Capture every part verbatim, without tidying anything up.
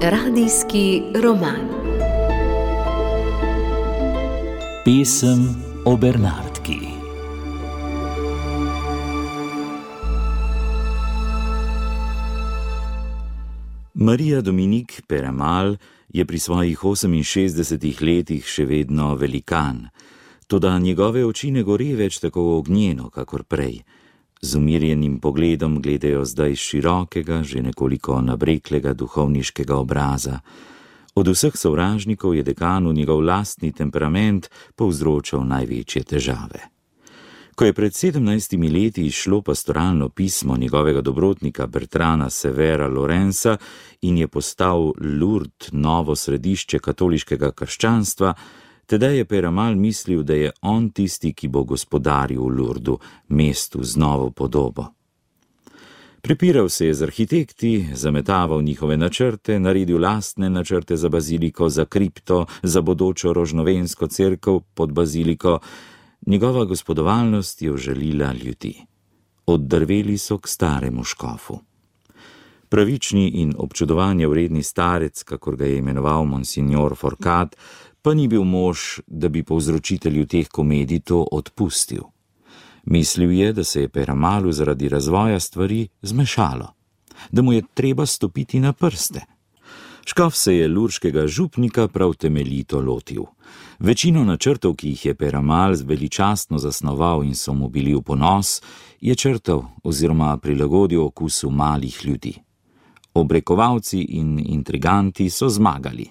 Radijski roman. Pesem o Bernardki. Marija Dominik Peyramal je pri svojih oseminšestdesetih letih še vedno velikan, toda njegove oči ne gore več tako ognjeno, kakor prej. Z umirjenim pogledom gledajo zdaj širokega, že nekoliko nabreklega duhovniškega obraza. Od vseh sovražnikov je dekanu njegov lastni temperament povzročal največje težave. Ko je pred sedemnajstimi leti izšlo pastoralno pismo njegovega dobrotnika Bertrana Severa Lorenza in je postal Lourdes novo središče katoliškega krščanstva, tedaj je Peyramal mislil, da je on tisti, ki bo gospodaril v Lourdesu, mestu z novo podobo. Prepiral se je z arhitekti, zametaval njihove načrte, naredil lastne načrte za baziliko, za kripto, za bodočo rožnovensko cerkev pod baziliko. Njegova gospodovalnost je užalila ljudi. Oddrveli so k staremu škofu. Pravični in občudovanja vredni starec, kakor ga je imenoval monsignor Forcat, pa ni bil mož, da bi povzročitelju teh komedij to odpustil. Mislil je, da se je Peyramalu zaradi razvoja stvari zmešalo, da mu je treba stopiti na prste. Škof se je lurškega župnika prav temeljito lotil. Večino načrtov, ki jih je Peyramal veličastno zasnoval in so mu bili v ponos, je črtal oziroma prilagodil okusu malih ljudi. Obrekovalci in intriganti so zmagali.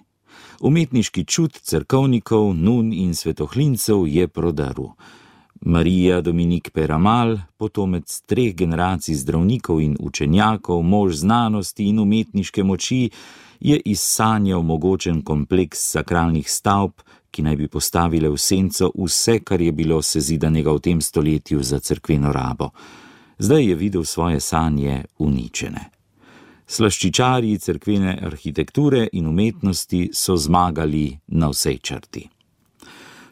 Umetniški čut cerkovnikov, nun in svetohlincev je prodrl. Marija Dominik Peyramal, potomec treh generacij zdravnikov in učenjakov, mož znanosti in umetniške moči, je izsanjal mogočen kompleks sakralnih stavb, ki naj bi postavile v senco vse, kar je bilo sezidanega v tem stoletju za cerkveno rabo. Zdaj je videl svoje sanje uničene. Slaščičarji cerkvene arhitekture in umetnosti so zmagali na vsej črti.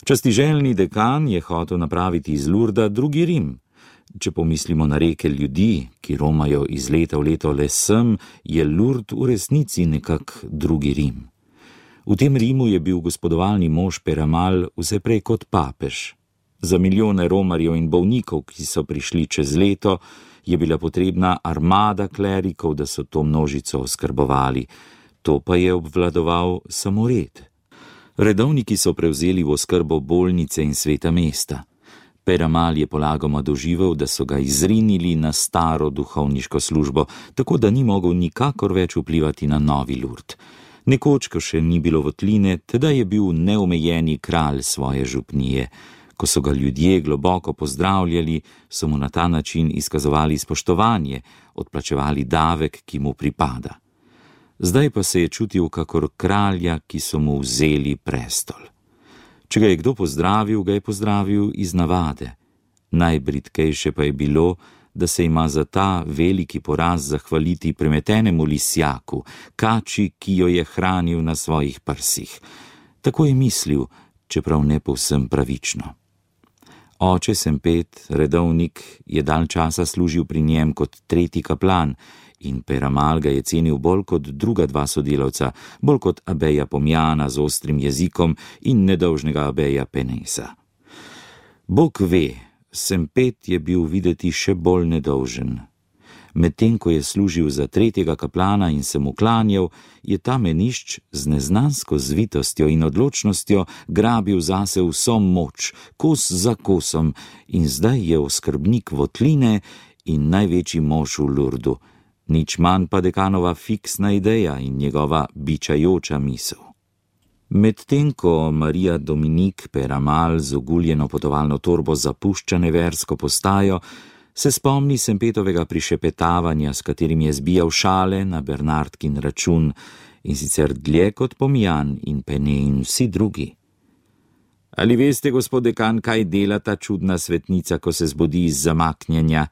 Častiželjni dekan je hotel napraviti iz Lourdesa drugi Rim. Če pomislimo na reke ljudi, ki romajo iz leta v leto le sem, je Lourdes v resnici nekak drugi Rim. V tem Rimu je bil gospodovalni mož Peyramal vse prej kot papež. Za milijone romarjev in bolnikov, ki so prišli čez leto, je bila potrebna armada klerikov, da so to množico oskrbovali. To pa je obvladoval samo red. Redovniki so prevzeli v oskrbo bolnice in sveta mesta. Peyramal je polagoma doživel, da so ga izrinili na staro duhovniško službo, tako da ni mogel nikakor več vplivati na novi Lourdes. Nekoč, ko še ni bilo votline, tedaj je bil neomejeni kralj svoje župnije. Ko so ga ljudje globoko pozdravljali, so mu na ta način izkazovali spoštovanje, odplačevali davek, ki mu pripada. Zdaj pa se je čutil kakor kralja, ki so mu vzeli prestol. Če ga je kdo pozdravil, ga je pozdravil iz navade. Najbridkejše pa je bilo, da se ima za ta veliki poraz zahvaliti premetenemu lisjaku, kači, ki jo je hranil na svojih prsih. Tako je mislil, čeprav ne povsem pravično. Oče Sempet, redovnik, je dalj časa služil pri njem kot tretji kaplan in Peyramal ga je cenil bolj kot druga dva sodelavca, bolj kot abeja Pomjana z ostrim jezikom in nedolžnega abeja Penesa. Bog ve, Sempet je bil videti še bolj nedolžen. Medtem ko je služil za tretjega kaplana in se mu klanjal, je ta menišč z neznansko zvitostjo in odločnostjo grabil zase vso moč, kos za kosom, in zdaj je oskrbnik votline in največji mož v Lourdesu, nič manj pa dekanova fiksna ideja in njegova bičajoča misel. Medtem ko Marija Dominik Peyramal z oguljeno potovalno torbo zapušča neversko postajo, se spomni Sempetovega prišepetavanja, s katerim je zbijal šale na Bernardkin račun, in sicer dlje kot Pomjan in Pene in vsi drugi. Ali veste, gospod dekan, kaj dela ta čudna svetnica, ko se zbudi iz zamaknjenja?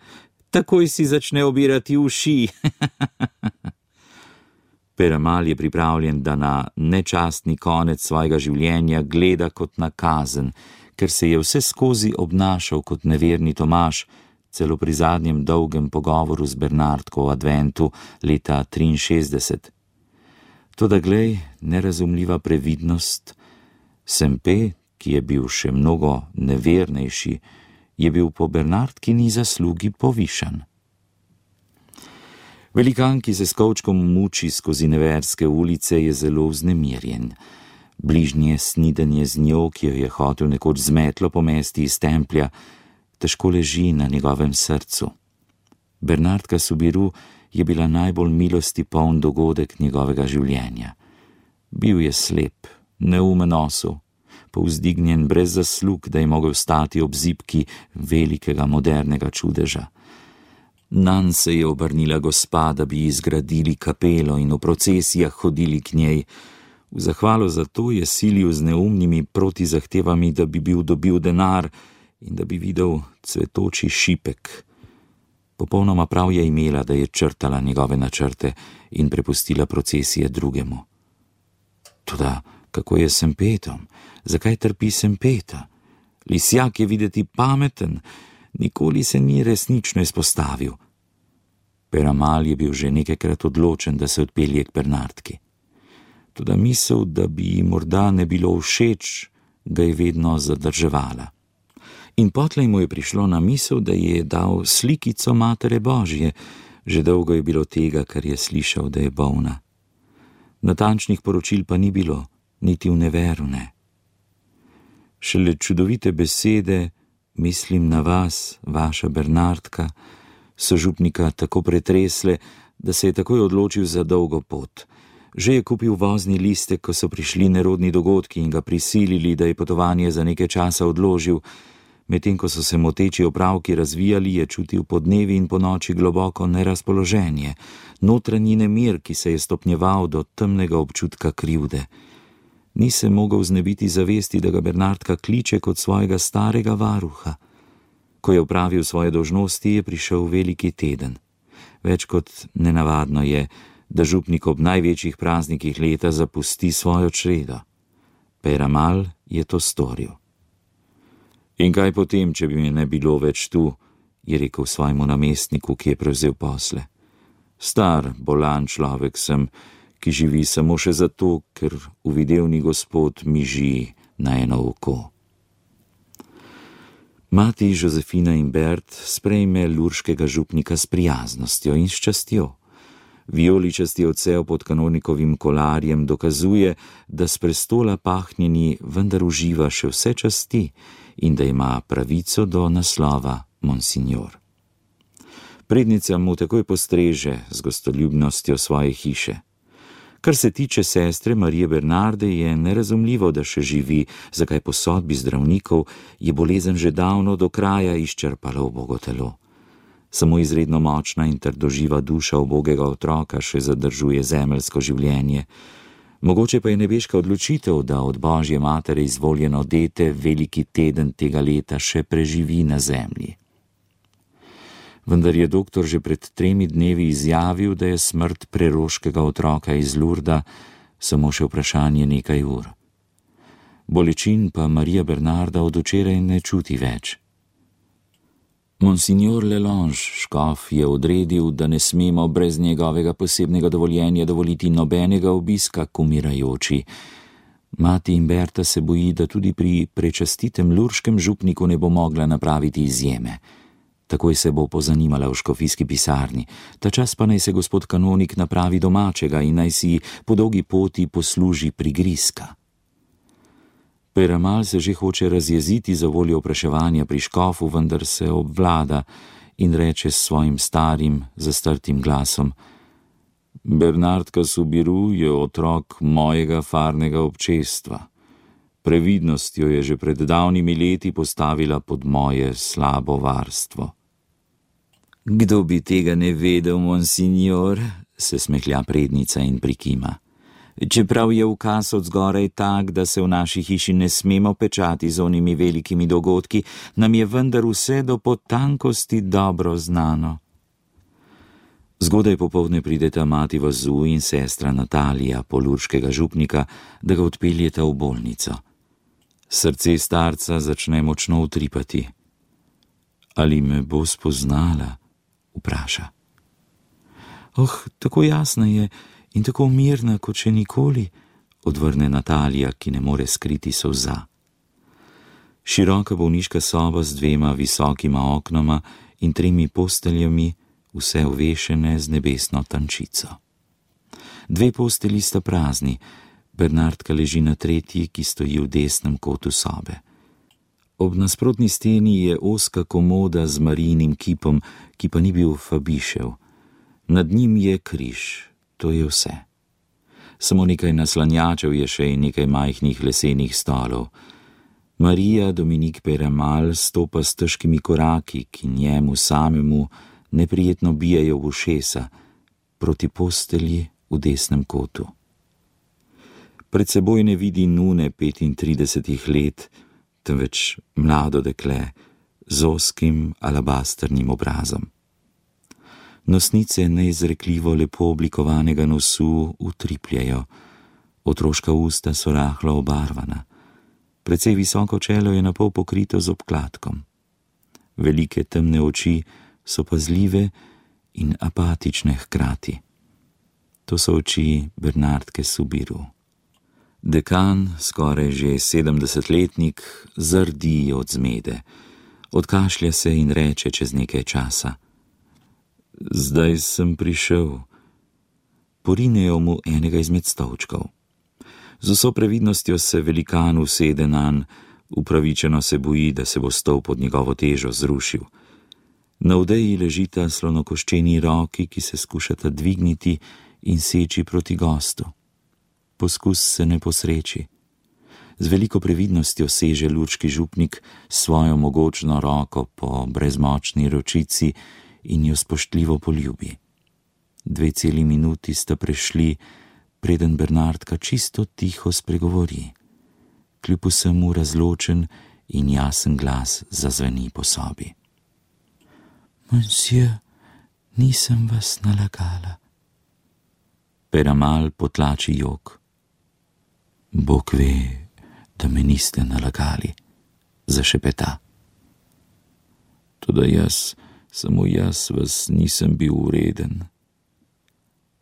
Takoj si začne obirati uši. Peyramal je pripravljen, da na nečastni konec svojega življenja gleda kot na kazen, ker se je vse skozi obnašal kot neverni Tomaž, celo pri zadnjem dolgem pogovoru z Bernardko o adventu leta triinšestdeset. Toda glej, nerazumljiva previdnost, Sempe, ki je bil še mnogo nevernejši, je bil po Bernardkini zaslugi povišan. Velikan, ki se s kovčkom muči skozi neverske ulice, je zelo vznemirjen. Bližnje snidenje z njo, ki jo je hotel nekoč z metlo pomesti iz templja, težko leži na njegovem srcu. Bernardka Soubirous je bila najbolj milosti poln dogodek njegovega življenja. Bil je slep, neumen osel, povzdignjen brez zaslug, da je mogel stati ob zibki velikega modernega čudeža. Nanj se je obrnila gospa, da bi ji zgradili kapelo in v procesijah hodili k njej. V zahvalo za to je silil z neumnimi protizahtevami, da bi bil dobil denar in da bi videl cvetoči šipek. Popolnoma prav je imela, da je črtala njegove načrte in prepustila procesije drugemu. Toda kako je s Sempetom? Zakaj trpi Sempeta? Lisjak je videti pameten, nikoli se ni resnično izpostavil. Peyramal je bil že nekajkrat odločen, da se odpelje k Bernardki. Toda misel, da bi ji morda ne bilo všeč, ga je vedno zadrževala. In potlej mu je prišlo na misel, da ji je dal slikico Matere Božje. Že dolgo je bilo tega, kar je slišal, da je bolna. Natančnih poročil pa ni bilo, niti v neveru ne. Šele čudovite besede, mislim na vas, vaša Bernardka, so župnika tako pretresle, da se je takoj odločil za dolgo pot. Že je kupil vozni listek, ko so prišli nerodni dogodki in ga prisilili, da je potovanje za nekaj časa odložil. Medtem ko so se moteči opravki razvijali, je čutil po dnevi in po noči globoko nerazpoloženje, notranji nemir, ki se je stopnjeval do temnega občutka krivde. Ni se mogel znebiti zavesti, da ga Bernardka kliče kot svojega starega varuha. Ko je opravil svoje dolžnosti, je prišel veliki teden. Več kot nenavadno je, da župnik ob največjih praznikih leta zapusti svojo čredo. Peyramal je to storil. In kaj potem, če bi me ne bilo več tu, je rekel svojemu namestniku, ki je prevzel posle. Star, bolan človek sem, ki živi samo še zato, ker uvidevni gospod miži na eno oko. Mati Josefina Imbert sprejme lurškega župnika s prijaznostjo in s častjo. Vijoličasti odsev pod kanonikovim kolarjem dokazuje, da s prestola pahnjeni vendar uživa še vse časti in da ima pravico do naslova monsignor. Prednica mu takoj postreže z gostoljubnostjo svoje hiše. Kar se tiče sestre Marije Bernarde, je nerazumljivo, da še živi, zakaj po sodbi zdravnikov je bolezen že davno do kraja izčrpala ubogo telo. Samo izredno močna in trdoživa duša ubogega otroka še zadržuje zemeljsko življenje. Mogoče pa je nebeška odločitev, da od Božje matere izvoljeno dete veliki teden tega leta še preživi na zemlji. Vendar je doktor že pred tremi dnevi izjavil, da je smrt preroškega otroka iz Lurda samo še vprašanje nekaj ur. Bolečin pa Marija Bernarda od včeraj ne čuti več. Monsignor Lelange, škof, je odredil, da ne smemo brez njegovega posebnega dovoljenja dovoliti nobenega obiska k umirajoči. Mati Imberta se boji, da tudi pri prečastitem lurškem župniku ne bo mogla napraviti izjeme. Takoj se bo pozanimala v škofijski pisarni, ta čas pa naj se gospod kanonik napravi domačega in naj si po dolgi poti posluži prigrizka. Peyramal se že hoče razjeziti za voljo opraševanja pri škofu, vendar se obvlada in reče s svojim starim, zastrtim glasom: Bernardka Soubirous je otrok mojega farnega občestva. Previdnost jo je že pred davnimi leti postavila pod moje slabo varstvo. Kdo bi tega ne vedel, monsignor, se smehlja prednica in prikima. Čeprav je ukaz od zgoraj tak, da se v naši hiši ne smemo pečati z onimi velikimi dogodki, nam je vendar vse do potankosti dobro znano. Zgodaj popoldne prideta mati Vazu in sestra Natalija, polurškega župnika, da ga odpeljeta v bolnico. Srce starca začne močno utripati. Ali me bo spoznala? Vpraša. Oh, tako jasna je in tako mirna, kot še nikoli, odvrne Natalija, ki ne more skriti solza. Široka bolniška soba z dvema visokima oknoma in tremi posteljami, vse ovešene z nebesno tančico. Dve postelji sta prazni, Bernardka leži na tretji, ki stoji v desnem kotu sobe. Ob nasprotni steni je ozka komoda z Marijinim kipom, ki pa ni bil Fabišev. Nad njim je križ, to je vse. Samo nekaj naslanjačev je še in nekaj majhnih lesenih stolov. Marija Dominik Peyramal stopa s težkimi koraki, ki njemu samemu neprijetno bijajo v ušesa, proti postelji v desnem kotu. Pred seboj ne vidi nune petintridesetih let, temveč mlado dekle z ozkim alabasternim obrazom. Nosnice neizrekljivo lepo oblikovanega nosu utripljajo, otroška usta so rahlo obarvana, precej visoko čelo je napol pokrito z obkladkom. Velike temne oči so pazljive in apatične hkrati. To so oči Bernardke Soubirous. Dekan, skoraj že sedemdesetletnik, zardi od zmede. Odkašlja se in reče čez nekaj časa. Zdaj sem prišel. Porinejo mu enega izmed stolčkov. Z vso previdnostjo se velikan usede nanj, upravičeno se boji, da se bo stol pod njegovo težo zrušil. Na odeji ležita slonokoščeni roki, ki se skušata dvigniti in seči proti gostu. Poskus se ne posreči. Z veliko previdnostjo seže lučki župnik svojo mogočno roko po brezmočni ročici in jo spoštljivo poljubi. Dve celi minuti sta prešli, preden Bernardka čisto tiho spregovori. Kljub vsemu razločen in jasen glas zazveni po sobi. Monsieur, nisem vas nalagala. Peyramal potlači jok. Bog ve, da me niste nalagali, zašepeta. Toda jaz, samo jaz vas nisem bil vreden.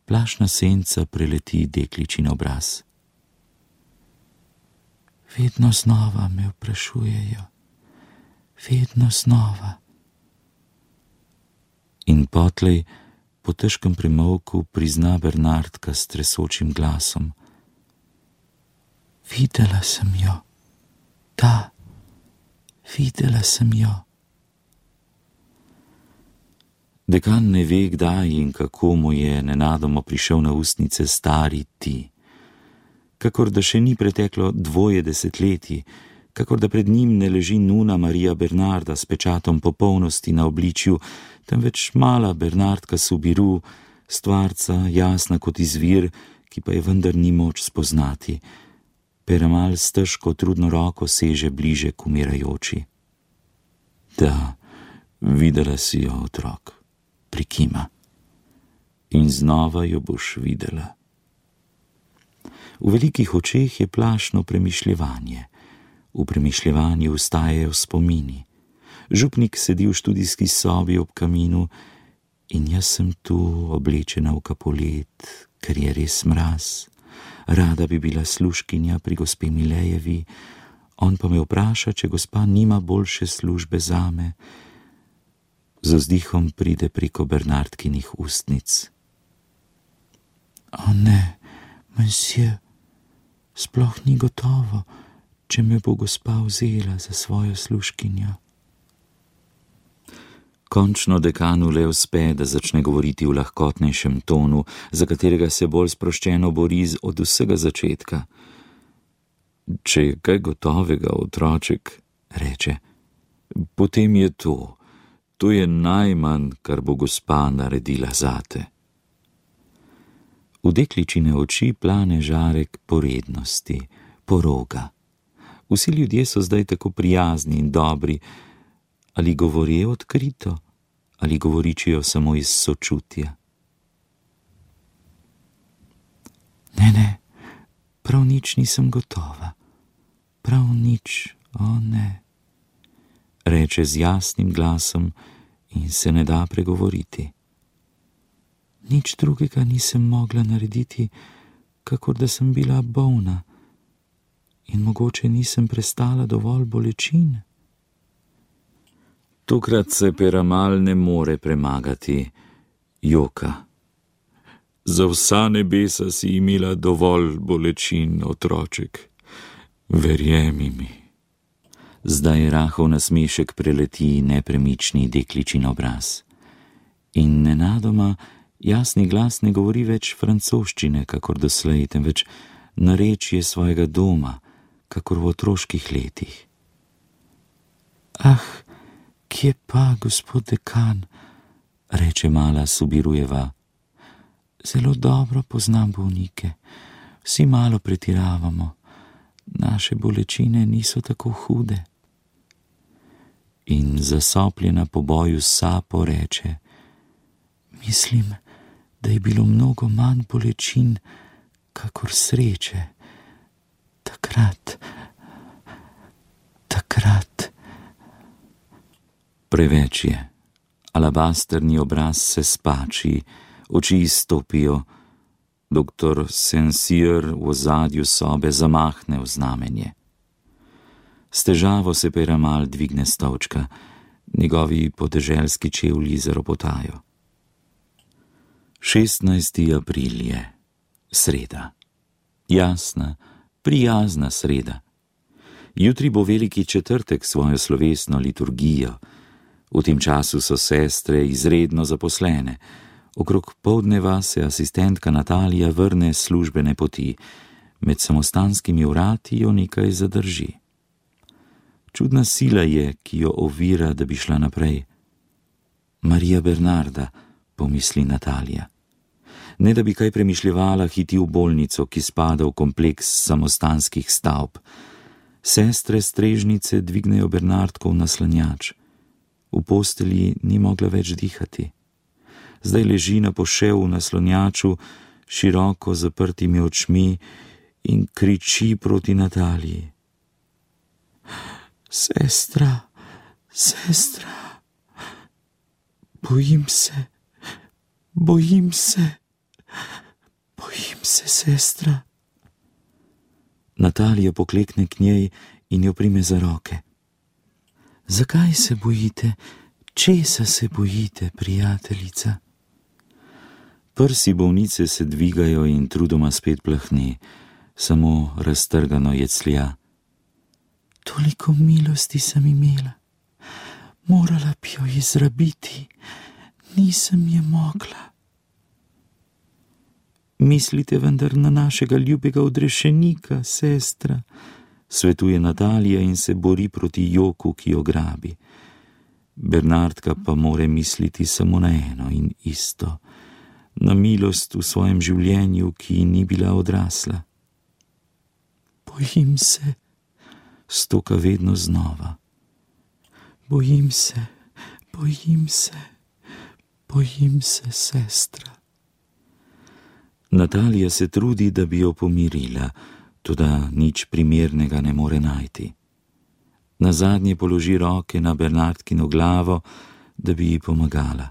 Plašna senca preleti dekličin obraz. Vedno znova me vprašujejo, vedno znova. In potlej, po težkem premolku, prizna Bernardka s tresočim glasom. Videla sem jo, da, videla sem jo. Dekan ne ve, kdaj in kako mu je nenadoma prišel na ustnice stari ti. Kakor da še ni preteklo dvoje desetletji, kakor da pred njim ne leži nuna Marija Bernarda s pečatom popolnosti na obličju, temveč mala Bernardka Soubirous, stvarca, jasna kot izvir, ki pa je vendar ni moč spoznati. Peyramal s težko trudno roko seže bliže k umirajoči. Da, videla si jo, otrok, prikima. In znova jo boš videla. V velikih očeh je plašno premišljevanje. V premišljevanju vstajajo spomini. Župnik sedi v študijski sobi ob kaminu in jaz sem tu oblečena v kapolet, ker je res mraz. Rada bi bila služkinja pri gospe Milejevi, on pa me vpraša, če gospa nima boljše službe zame. Z vzdihom pride preko Bernardkinih ustnic. O ne, monsieur, sploh ni gotovo, če me bo gospa vzela za svojo služkinjo. Končno dekanu le uspe, da začne govoriti v lahkotnejšem tonu, za katerega se bolj sproščeno bori od vsega začetka. Če je kaj gotovega, otroček, reče, potem je to. To je najmanj, kar bo gospa naredila zate. V dekličine oči plane žarek porednosti, poroga. Vsi ljudje so zdaj tako prijazni in dobri, ali govorijo odkrito, ali govoričijo samo iz sočutja. Ne, ne, prav nič nisem gotova, prav nič, o ne. reče z jasnim glasom in se ne da pregovoriti. Nič drugega nisem mogla narediti, kakor da sem bila bolna in mogoče nisem prestala dovolj bolečin. Tokrat se Peramal ne more premagati, joka. Za vsa nebesa si imela dovolj bolečin, otroček. Verjemi mi. Zdaj rahel nasmešek preleti nepremični dekličin obraz. In nenadoma jasni glas ne govori več francoščine, kakor doslej, temveč narečje svojega doma, kakor v otroških letih. Ah, kje pa, gospod dekan, reče mala Subirujeva. Zelo dobro poznam bolnike, vsi malo pretiravamo, naše bolečine niso tako hude. In zasopljena po boju s sapo reče: Mislim, da je bilo mnogo manj bolečin, kakor sreče. Takrat, takrat. Preveč je. Alabasterni obraz se spači, oči izstopijo. Doktor Saint-Cyr v ozadju sobe zamahne v znamenje. S težavo se Peramal dvigne s stolčka, njegovi podeželski čevlji zaropotajo. šestnajsti april je, sreda. Jasna, prijazna sreda. Jutri bo veliki četrtek svojo slovesno liturgijo. V tem času so sestre izredno zaposlene. Okrog poldneva se asistentka Natalija vrne s službene poti. Med samostanskimi vrati jo nekaj zadrži. Čudna sila je, ki jo ovira, da bi šla naprej. Marija Bernarda, pomisli Natalija. Ne da bi kaj premišljevala, hiti v bolnico, ki spada v kompleks samostanskih stavb. Sestre strežnice dvignejo Bernardkov naslanjač. V postelji ni mogla več dihati. Zdaj leži na poševu v naslonjaču, široko zaprtimi očmi in kriči proti Nataliji. Sestra, sestra, bojim se, bojim se, bojim se, sestra. Natalija poklekne k njej in jo prime za roke. Zakaj se bojite? Česa se bojite, prijateljica? Prsi bolnice se dvigajo in trudoma spet plahne, samo raztrgano jeclja. Toliko milosti sem imela, morala bi jo izrabiti, nisem je mogla. Mislite vendar na našega ljubega odrešenika, sestra, svetuje Natalija in se bori proti joku, ki jo grabi. Bernardka pa more misliti samo na eno in isto, na milost v svojem življenju, ki ni bila odrasla. Bojim se, stoka vedno znova. Bojim se, bojim se, bojim se, sestra. Natalija se trudi, da bi jo pomirila, toda nič primernega ne more najti. Nazadnje položi roke na Bernardkino glavo, da bi ji pomagala.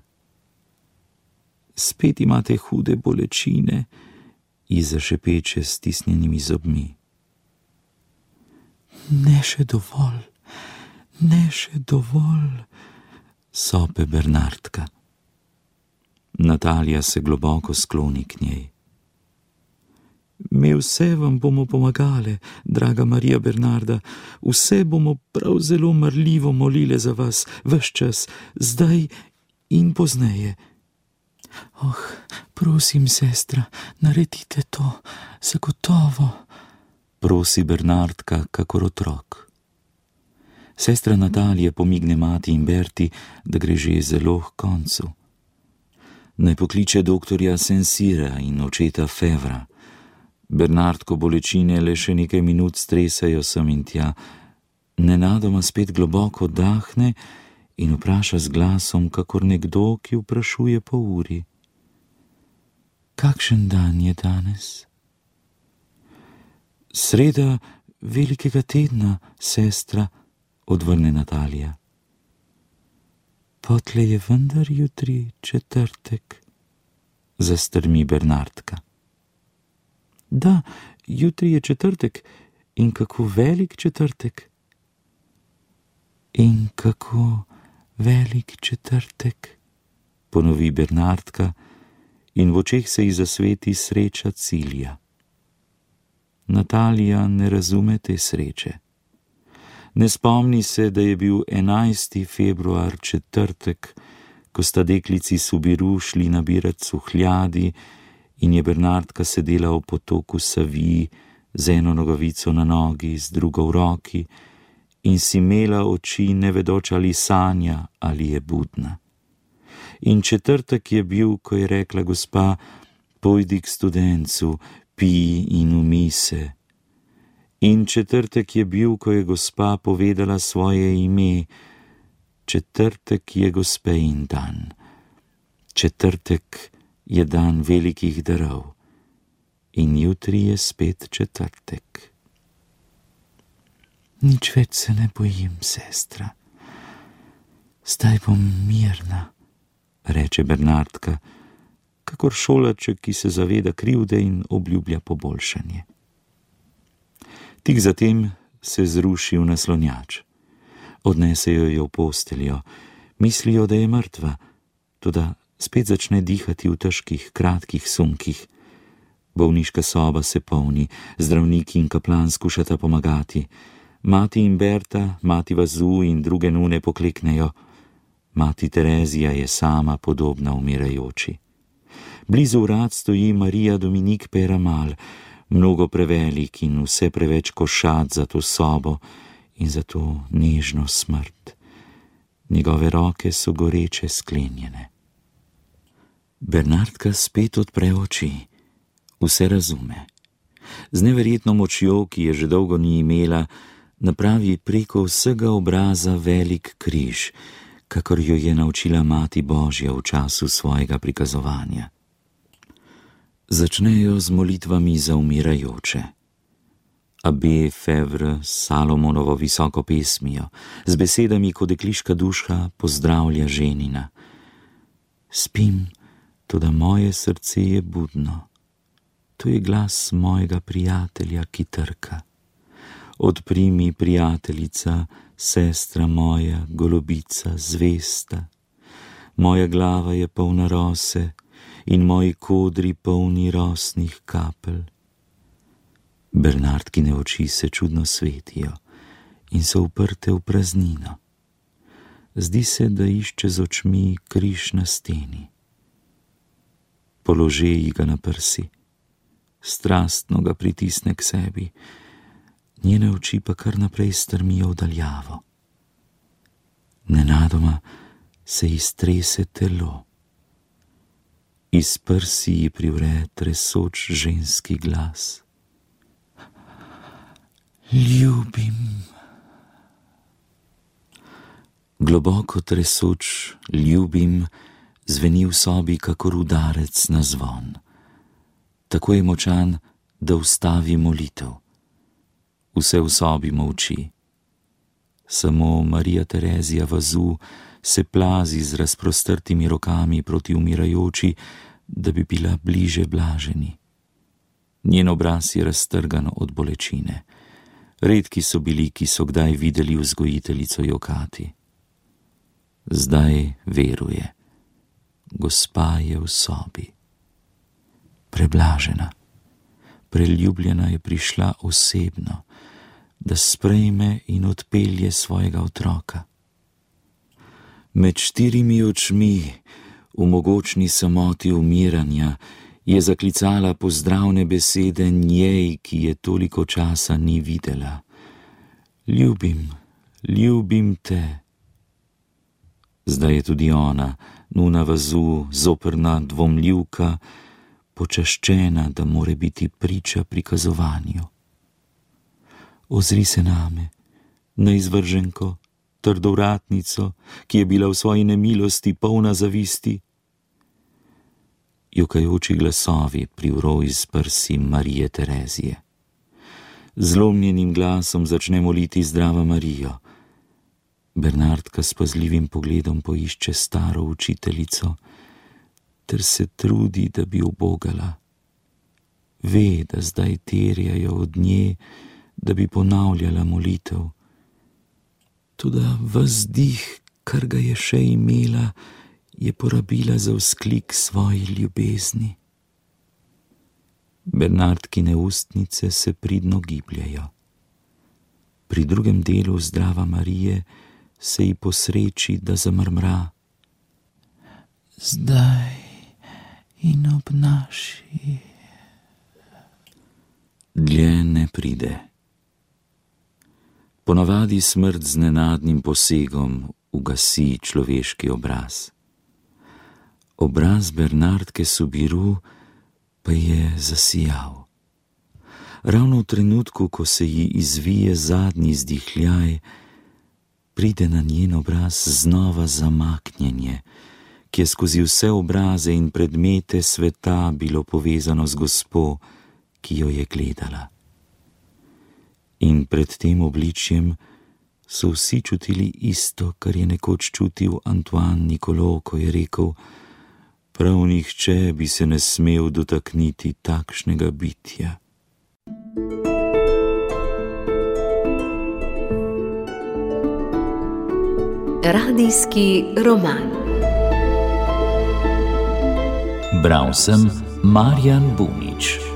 Spet imate hude bolečine, ji zašepeče s stisnjenimi zobmi. Ne še dovolj, ne še dovolj, sope Bernardka. Natalija se globoko skloni k njej. Mi vse vam bomo pomagale, draga Marija Bernarda, vse bomo prav zelo marljivo molile za vas, ves čas, zdaj in pozneje. Oh, prosim, sestra, naredite to, zagotovo, prosi Bernardka kakor otrok. Sestra Natalija pomigne mati in Berti, da gre že zelo k koncu. Naj pokliče doktorja Saint-Cyra in očeta Fevra. Bernardko bolečine le še nekaj minut stresajo sem in tja, nenadoma spet globoko dahne in vpraša z glasom, kakor nekdo, ki vprašuje po uri. Kakšen dan je danes? Sreda velikega tedna, sestra, odvrne Natalija. Potle je vendar jutri četrtek, zastrmi Bernardka. Da, jutri je četrtek in kako velik četrtek. In kako velik četrtek, ponovi Bernardka in v očeh se ji zasveti sreča cilja. Natalija ne razume te sreče. Ne spomni se, da je bil enajsti februar četrtek, ko sta deklici Subiru šli nabirat suhljadi in je Bernardka sedela v potoku Saviji z eno nogavico na nogi, z drugo v roki in si imela oči, ne vedoč ali sanja ali je budna. In četrtek je bil, ko je rekla gospa, pojdi k studencu, pij in umij se. In četrtek je bil, ko je gospa povedala svoje ime. Četrtek je gospejin dan. Četrtek je dan velikih darov. In jutri je spet četrtek. Nič več se ne bojim, sestra. Zdaj bom mirna, reče Bernardka, kakor šolaček, ki se zaveda krivde in obljublja poboljšanje. Tik zatem se zruši v naslonjač. Odnesejo jo v posteljo, mislijo, da je mrtva, toda spet začne dihati v težkih, kratkih sunkih. Bolniška soba se polni, zdravniki in kaplan skušata pomagati. Mati in Berta, mati Vazu in druge nune pokleknejo. Mati Terezija je sama podobna umirajoči. Blizu vrat stoji Marija Dominik Peyramal, mnogo prevelik in vse preveč košat za to sobo in za to nežno smrt. Njegove roke so goreče sklenjene. Bernardka spet odpre oči, vse razume. Z neverjetno močjo, ki je že dolgo ni imela, napravi preko vsega obraza velik križ, kakor jo je naučila Mati Božja v času svojega prikazovanja. Začnejo z molitvami za umirajoče. Abbé Fevre s Salomonovo visoko pesmijo, z besedami, ko dekliška duša pozdravlja ženina. Spim, toda moje srce je budno. To je glas mojega prijatelja, ki trka. Odpri mi, prijateljica, sestra moja, golobica, zvesta. Moja glava je polna rose in moji kodri polni rosnih kapelj. Bernardkine oči se čudno svetijo in so uprte v praznino. Zdi se, da išče z očmi križ na steni. Polože ji ga na prsi, strastno ga pritisne k sebi, njene oči pa kar naprej strmijo v daljavo. Nenadoma se ji strese telo. Iz prsi ji privre tresoč ženski glas. Ljubim. Globoko tresoč ljubim zveni v sobi kakor udarec na zvon. Tako je močan, da ustavi molitev. Vse v sobi molči. Samo Marija Terezija Vazu se plazi z razprostrtimi rokami proti umirajoči, da bi bila bliže blaženi. Njen obraz je raztrgan od bolečine. Redki so bili, ki so kdaj videli vzgojiteljico jokati. Zdaj veruje. Gospa je v sobi. Preblažena, preljubljena je prišla osebno, da sprejme in odpelje svojega otroka. Med štirimi očmi, v mogočni samoti umiranja, je zaklicala pozdravne besede njej, ki je toliko časa ni videla. Ljubim, ljubim te. Zdaj je tudi ona, nuna Vazu, zoprna dvomljivka, počaščena, da more biti priča prikazovanju. Ozri se name, neizvrženko, trdovratnico, ki je bila v svoji nemilosti polna zavisti. Jokajoči glasovi privro iz prsi Marije Terezije. Zlomljenim glasom začne moliti Zdrava Marijo. Bernardka s pazljivim pogledom poišče staro učiteljico, ter se trudi, da bi ubogala. Ve, da zdaj terjajo od nje, da bi ponavljala molitev. Toda ves dih, kar ga je še imela, je porabila za vzklik svoji ljubezni. Bernardkine ustnice se pridno gibljajo. Pri drugem delu Zdrava Marije se ji posreči, da zamrmra: zdaj in ob naši. Dlje ne pride. Ponavadi smrt z nenadnim posegom ugasi človeški obraz. Obraz Bernardke Soubirous pa je zasijal. Ravno v trenutku, ko se ji izvije zadnji izdihljaj, pride na njen obraz znova zamaknjenje, ki je skozi vse obraze in predmete sveta bilo povezano z gospo, ki jo je gledala. In pred tem obličjem so vsi čutili isto, kar je nekoč čutil Antoine Nicolo, ko je rekel: prav nihče bi se ne smel dotakniti takšnega bitja. Radijski roman. Bral sem Marjan Bunič.